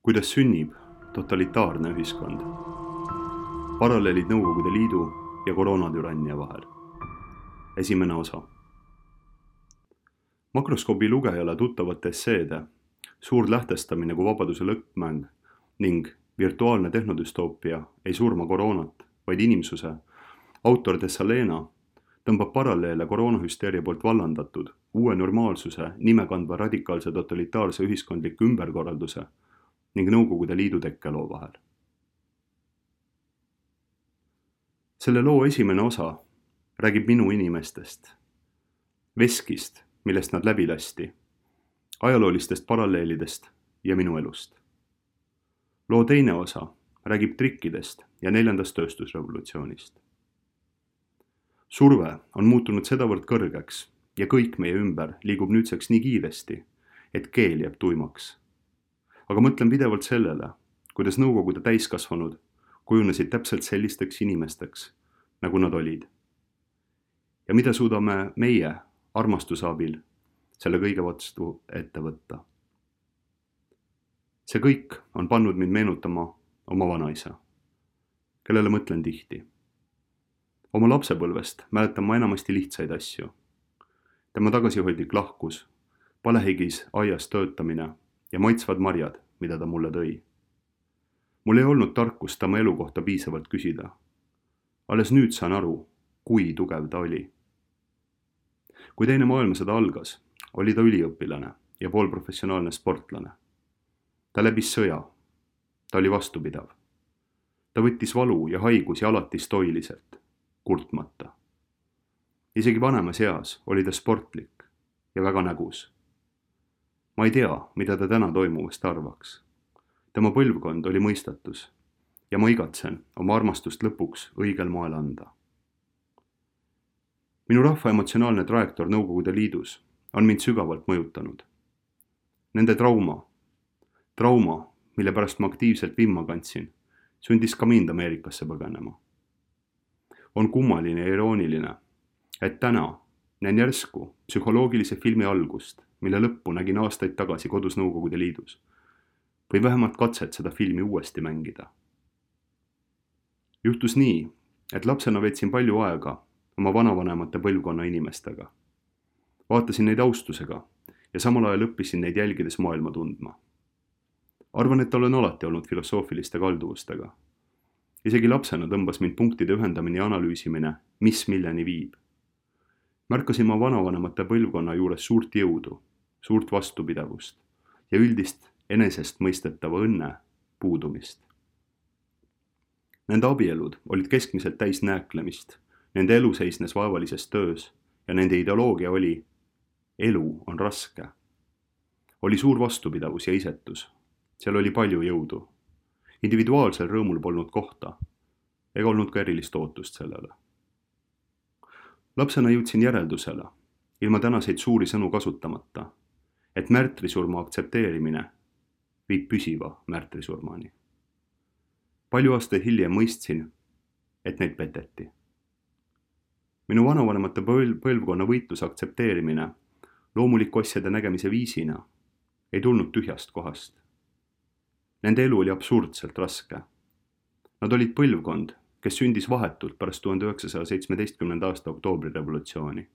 Kuidas sünnib totalitaarne ühiskond? Paralleelid Nõukogude Liidu ja koroonatürannia vahel. Esimene osa. Makroskoobi lugejale tuttavate esseede Suur lähtestamine kui vabaduse lõppmäng ning Virtuaalne tehnodüstoopia ei surma koroonat, vaid inimsuse autor Dessalena tõmbab paralleele koroonahüsteeria poolt vallandatud uue normaalsuse nime kandva radikaalse totalitaarse ühiskondliku ümberkorralduse ning Nõukogude Liidu tekkeloo vahel. Selle loo esimene osa räägib minu inimestest, veskist, millest nad läbi lasti, ajaloolistest paralleelidest ja minu elust. Loo teine osa räägib trikkidest ja 4. tööstusrevolutsioonist. Surve on muutunud sedavõrd kõrgeks ja kõik meie ümber liigub nüüdseks nii kiiresti, et keel jääb tuimaks. Aga mõtlen pidevalt sellele, kuidas Nõukogude täiskasvanud kujunesid täpselt sellisteks inimesteks, nagu nad olid. Ja mida suudame meie armastuse abil selle kõige vastu ette võtta. See kõik on pannud mind meenutama oma vanaisa, kellele mõtlen tihti. Oma lapsepõlvest mäletan ma enamasti lihtsaid asju. Tema tagasihoidlik lahkus, palehigis aias töötamine ja maitsvad marjad, mida ta mulle tõi. Mul ei olnud tarkust tema elu kohta piisavalt küsida. Alles nüüd saan aru, kui tugev ta oli. Kui teine maailmasõda algas, oli ta üliõpilane ja poolprofessionaalne sportlane. Ta läbis sõja. Ta oli vastupidav. Ta võttis valu ja haigusi alati stoiliselt, kurtmata. Isegi vanemas eas oli ta sportlik ja väga nägus. Ma ei tea, mida ta täna toimuvast arvaks. Tema põlvkond oli mõistatus ja ma igatsen oma armastust lõpuks õigel moel anda. Minu rahva emotsionaalne trajektoor Nõukogude Liidus on mind sügavalt mõjutanud. Nende trauma, mille pärast ma aktiivselt vimma kandsin, sundis ka mind Ameerikasse põgenema. On kummaline ja irooniline, et täna näen järsku psühholoogilise filmi algust, mille lõppu nägin aastaid tagasi kodus Nõukogude Liidus, või vähemalt katset seda filmi uuesti mängida. Juhtus nii, et lapsena veetsin palju aega oma vanavanemate põlvkonna inimestega. Vaatasin neid austusega ja samal ajal õppisin neid jälgides maailma tundma. Arvan, et olen alati olnud filosoofiliste kalduvustega. Isegi lapsena tõmbas mind punktide ühendamine ja analüüsimine, mis milleni viib. Märkasin ma vanavanemate põlvkonna juures suurt jõudu, suurt vastupidavust ja üldist enesest mõistetava õnne puudumist. Nende abielud olid keskmiselt täis nääklemist, nende elu seisnes vaevalises töös ja nende ideoloogia oli elu on raske. Oli suur vastupidavus ja isetus, seal oli palju jõudu. Individuaalsel rõõmul polnud kohta ega olnud ka erilist ootust sellele. Lapsena jõudsin järeldusele, ilma tänaseid suuri sõnu kasutamata, et märtrisurma aktsepteerimine viib püsiva märtrisurmani. Palju aastaid hiljem mõistsin, et neid peteti. Minu vanavanemate põlvkonna võitluse aktsepteerimine loomuliku asjade nägemise viisina ei tulnud tühjast kohast. Nende elu oli absurdselt raske. Nad olid põlvkond, kes sündis vahetult pärast 1917. aasta oktoobrirevolutsiooni.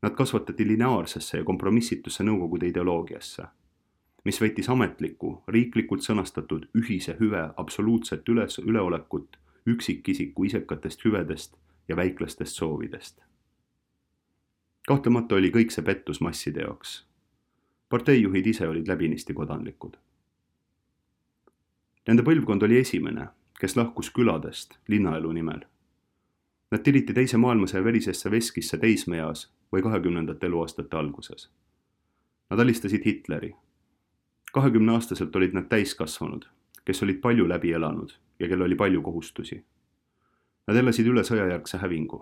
Nad kasvatati lineaarsesse ja kompromissitusse Nõukogude ideoloogiasse, mis võttis ametlikku, riiklikult sõnastatud ühise hüve absoluutset üleolekut üksikisiku isekatest hüvedest ja väiklastest soovidest. Kahtlemata oli kõik see pettus masside jaoks. Parteijuhid ise olid läbinisti kodanlikud. Nende põlvkond oli esimene, kes lahkus küladest linnaelu nimel. Nad tiriti teise maailmasõja verisesse veskisse teismeeas või 20. eluaastate alguses. Nad alistasid Hitleri. 20-aastaselt olid nad täiskasvanud, kes olid palju läbi elanud ja kel oli palju kohustusi. Nad elasid üle sõjajärgse hävingu.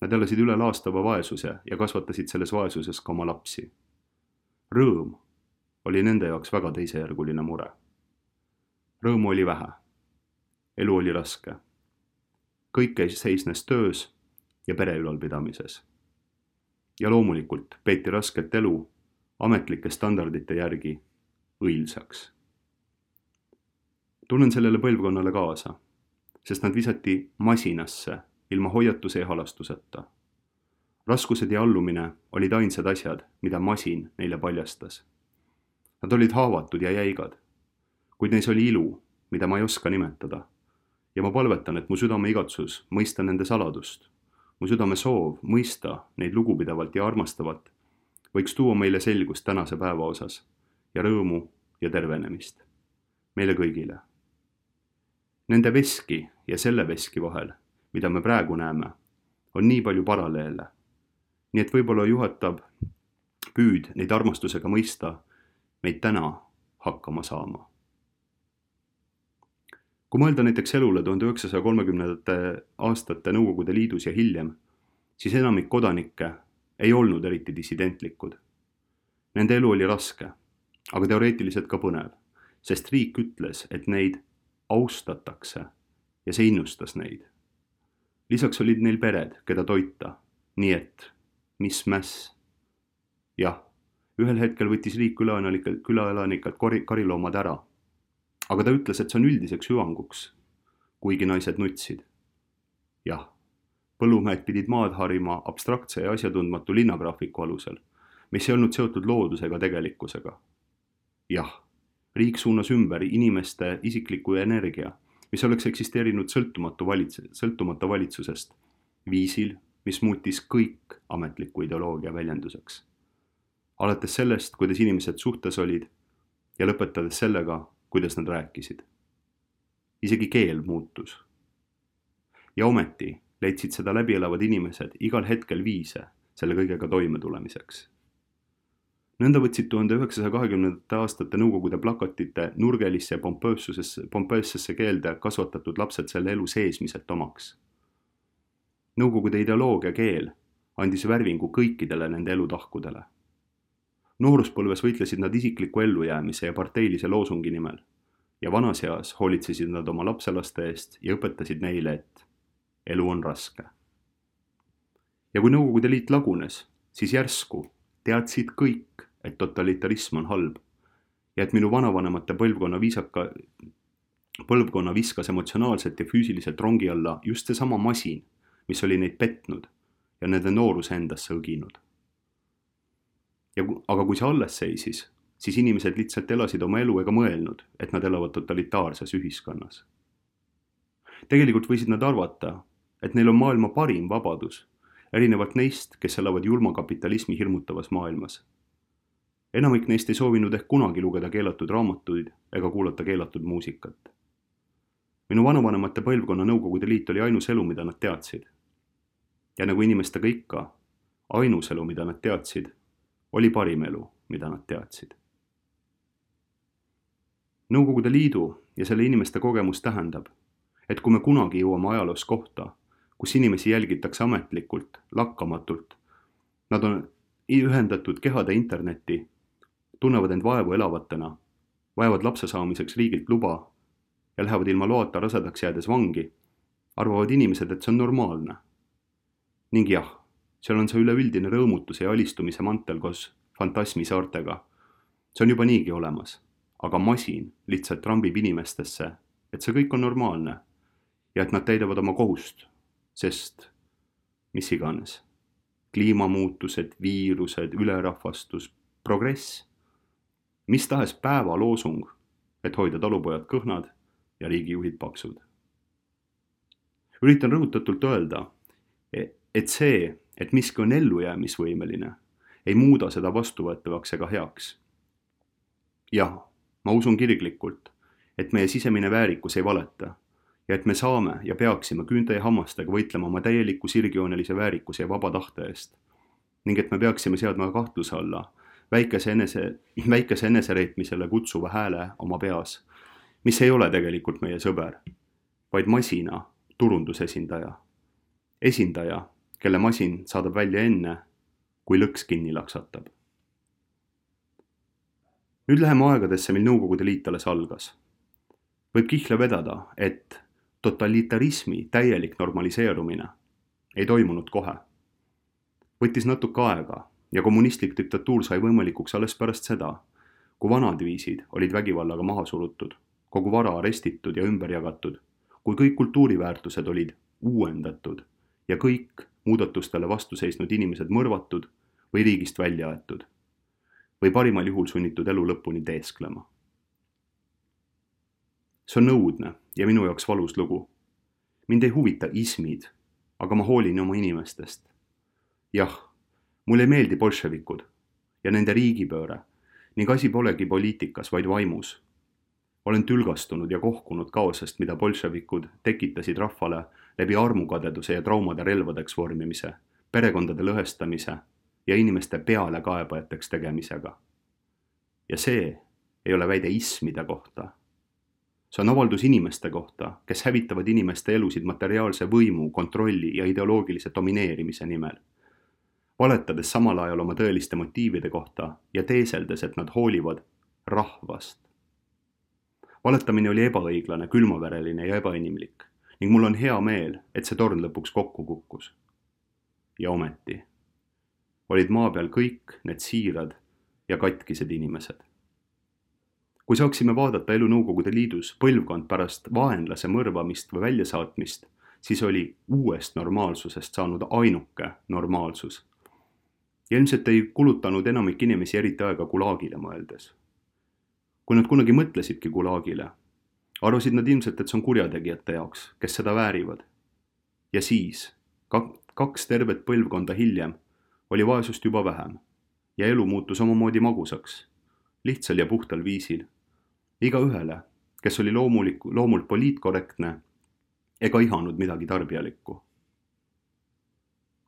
Nad elasid üle laastava vaesuse ja kasvatasid selles vaesuses ka oma lapsi. Rõõm oli nende jaoks väga teisejärguline mure. Rõõmu oli vähe. Elu oli raske. Kõik seisnes töös ja pere ülalpidamises. Ja loomulikult peeti rasket elu ametlike standardite järgi õilsaks. Tunnen sellele põlvkonnale kaasa, sest nad visati masinasse ilma hoiatuse ja halastuseta. Raskused ja allumine olid ainsad asjad, mida masin neile paljastas. Nad olid haavatud ja jäigad, kuid neis oli ilu, mida ma ei oska nimetada. Ja ma palvetan, et mu südame igatsus mõista nende saladust, mu südame soov mõista neid lugupidavalt ja armastavalt võiks tuua meile selgust tänase päeva osas ja rõõmu ja tervenemist. Meile kõigile. Nende veski ja selle veski vahel, mida me praegu näeme, on nii palju paralleele. Nii et võib-olla juhatab püüd neid armastusega mõista meid täna hakkama saama. Kui mõelda näiteks elule 1930. aastate Nõukogude Liidus ja hiljem, siis enamik kodanikke ei olnud eriti dissidentlikud. Nende elu oli raske, aga teoreetiliselt ka põnev, sest riik ütles, et neid austatakse ja see innustas neid. Lisaks olid neil pered, keda toita, nii et mis mäss. Jah, ühel hetkel võttis riik külaelanikelt kariloomad ära, aga ta ütles, et see on üldiseks hüvanguks, kuigi naised nutsid. Jah, põllumehed pidid maad harima abstraktse ja asjatundmatu linnagraafiku alusel, mis ei olnud seotud loodusega tegelikkusega. Jah, riik suunas ümber inimeste isikliku energia, mis oleks eksisteerinud sõltumata valitsusest, viisil, mis muutis kõik ametliku ideoloogia väljenduseks. Alates sellest, kuidas inimesed suhtes olid ja lõpetades sellega, kuidas nad rääkisid. Isegi keel muutus. Ja ometi leidsid seda läbi elavad inimesed igal hetkel viise selle kõigega toime tulemiseks. Nõnda võtsid 1920. aastate Nõukogude plakatite nurgelisse ja pompeessesse keelde kasvatatud lapsed selle elu seesmiselt omaks. Nõukogude ideoloogia keel andis värvingu kõikidele nende elutahkudele. Nooruspõlves võitlesid nad isikliku ellujäämise ja parteilise loosungi nimel ja vanas eas hoolitsesid nad oma lapselaste eest ja õpetasid neile, et elu on raske. Ja kui Nõukogude Liit lagunes, siis järsku teadsid kõik, et totalitarism on halb ja et minu vanavanemate põlvkonna viskas emotsionaalselt ja füüsiliselt rongi alla just seesama masin, mis oli neid petnud ja nende nooruse endasse õginud. Aga kui see alles seisis, siis inimesed lihtsalt elasid oma elu ega mõelnud, et nad elavad totalitaarses ühiskonnas. Tegelikult võisid nad arvata, et neil on maailma parim vabadus, erinevalt neist, kes elavad julma kapitalismi hirmutavas maailmas. Enamik neist ei soovinud ehk kunagi lugeda keelatud raamatuid ega kuulata keelatud muusikat. Minu vanavanemate põlvkonna Nõukogude Liit oli ainus elu, mida nad teadsid. Ja nagu inimestega ikka, ainus elu, mida nad teadsid, oli parim elu, mida nad teadsid. Nõukogude Liidu ja selle inimeste kogemus tähendab, et kui me kunagi jõuame ajaloos kohta, kus inimesi jälgitakse ametlikult, lakkamatult, nad on ühendatud kehade internetti, tunnevad end vaevu elavatena, vajavad lapse saamiseks riigilt luba ja lähevad ilma loata rasedaks jäädes vangi, arvavad inimesed, et see on normaalne. Ning jah, seal on see üleüldine rõõmutuse ja alistumise mantel koos fantasmi saartega. See on juba niigi olemas, aga masin lihtsalt trambib inimestesse, et see kõik on normaalne ja et nad täidavad oma kohust, sest mis iganes. Kliimamuutused, viirused, ülerahvastus, progress. Mis tahes päeva loosung, et hoida talupojad kõhnad ja riigijuhid paksud. Üritan rõhutatult öelda, et see, et miski on ellujäämisvõimeline, ei muuda seda vastuvõetavaks ega heaks. Jah, ma usun kirglikult, et meie sisemine väärikus ei valeta ja et me saame ja peaksime küünte ja hammastega võitlema oma täieliku sirgjoonelise väärikuse ja vaba tahte eest ning et me peaksime seadma kahtluse alla väikese enesereetmisele kutsuva hääle oma peas, mis ei ole tegelikult meie sõber, vaid masina turundusesindaja. Esindaja, kelle masin saadab välja enne, kui lõks kinni laksatab. Nüüd läheme aegadesse, mil Nõukogude Liit alles algas. Võib kihla vedada, et totalitarismi täielik normaliseerumine ei toimunud kohe. Võttis natuke aega ja kommunistlik diktatuur sai võimalikuks alles pärast seda, kui vanad viisid olid vägivallaga maha surutud kogu vara arestitud ja ümber jagatud, kui kõik kultuuriväärtused olid uuendatud ja kõik muudatustele vastu seisnud inimesed mõrvatud või riigist välja aetud või parimal juhul sunnitud elu lõpuni teesklema. See on õudne ja minu jaoks valus lugu. Mind ei huvita ismid, aga ma hoolin oma inimestest. Jah, mulle ei meeldi bolševikud ja nende riigipööre ning asi polegi poliitikas, vaid vaimus. Olen tülgastunud ja kohkunud kaosest, mida bolševikud tekitasid rahvale läbi armukadeduse ja traumade relvadeks vormimise, perekondade lõhestamise ja inimeste peale kaebajateks tegemisega. Ja see ei ole väide ismide kohta. See on avaldus inimeste kohta, kes hävitavad inimeste elusid materiaalse võimu, kontrolli ja ideoloogilise domineerimise nimel. Valetades samal ajal oma tõeliste motiivide kohta ja teeseldes, et nad hoolivad rahvast. Valetamine oli ebaõiglane, külmavereline ja ebainimlik ning mul on hea meel, et see torn lõpuks kokku kukkus. Ja ometi olid maa peal kõik need siirad ja katkised inimesed. Kui saaksime vaadata elu Nõukogude Liidus põlvkond pärast vaenlase mõrvamist või väljasaatmist, siis oli uuest normaalsusest saanud ainuke normaalsus. Ja ilmselt ei kulutanud enamik inimesi eriti aega Gulagile mõeldes. Kui nad kunagi mõtlesidki Gulagile, arvasid nad ilmselt, et see on kurjategijate jaoks, kes seda väärivad. Ja siis, 2 tervet põlvkonda hiljem, oli vaesust juba vähem ja elu muutus omamoodi magusaks, lihtsal ja puhtal viisil. Igaühele, kes oli loomult poliitkorrektne ega ihanud midagi tarbijalikku.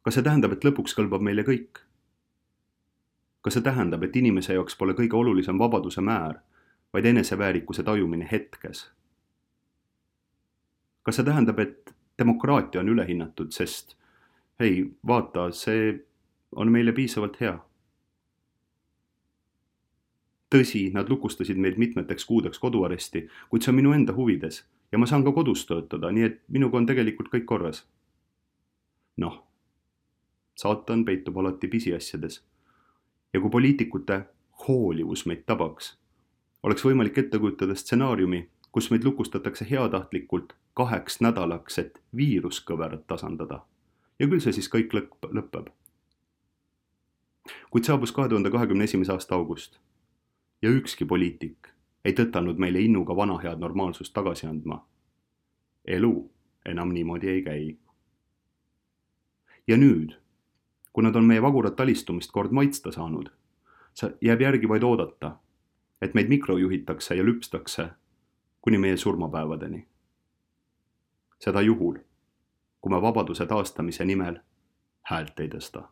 Kas see tähendab, et lõpuks kõlbab meile kõik? Kas see tähendab, et inimese jaoks pole kõige olulisem vabaduse määr, vaid eneseväärikuse tajumine hetkes? Kas see tähendab, et demokraatia on ülehinnatud, sest hei, vaata, see on meile piisavalt hea? Tõsi, nad lukustasid meid mitmeteks kuudeks koduaresti, kuid see on minu enda huvides ja ma saan ka kodus töötada, nii et minuga on tegelikult kõik korras. Noh, saatan peitub alati pisiasjades. Ja kui poliitikute hoolivus meid tabaks, oleks võimalik ette kujutada stsenaariumi, kus meid lukustatakse heatahtlikult 2 nädalaks, et viiruskõverat tasandada. Ja küll see siis kõik lõpeb. Kuid saabus 2021. aasta august. Ja ükski poliitik ei tõtanud meile innuga vana head normaalsust tagasi andma. Elu enam niimoodi ei käi. Ja nüüd, kui nad on meie vagurat talistumist kord maitsta saanud, jääb järgi vaid oodata, et meid mikrojuhitakse ja lüpstakse kuni meie surmapäevadeni. Seda juhul, kui me vabaduse taastamise nimel häält ei tõsta.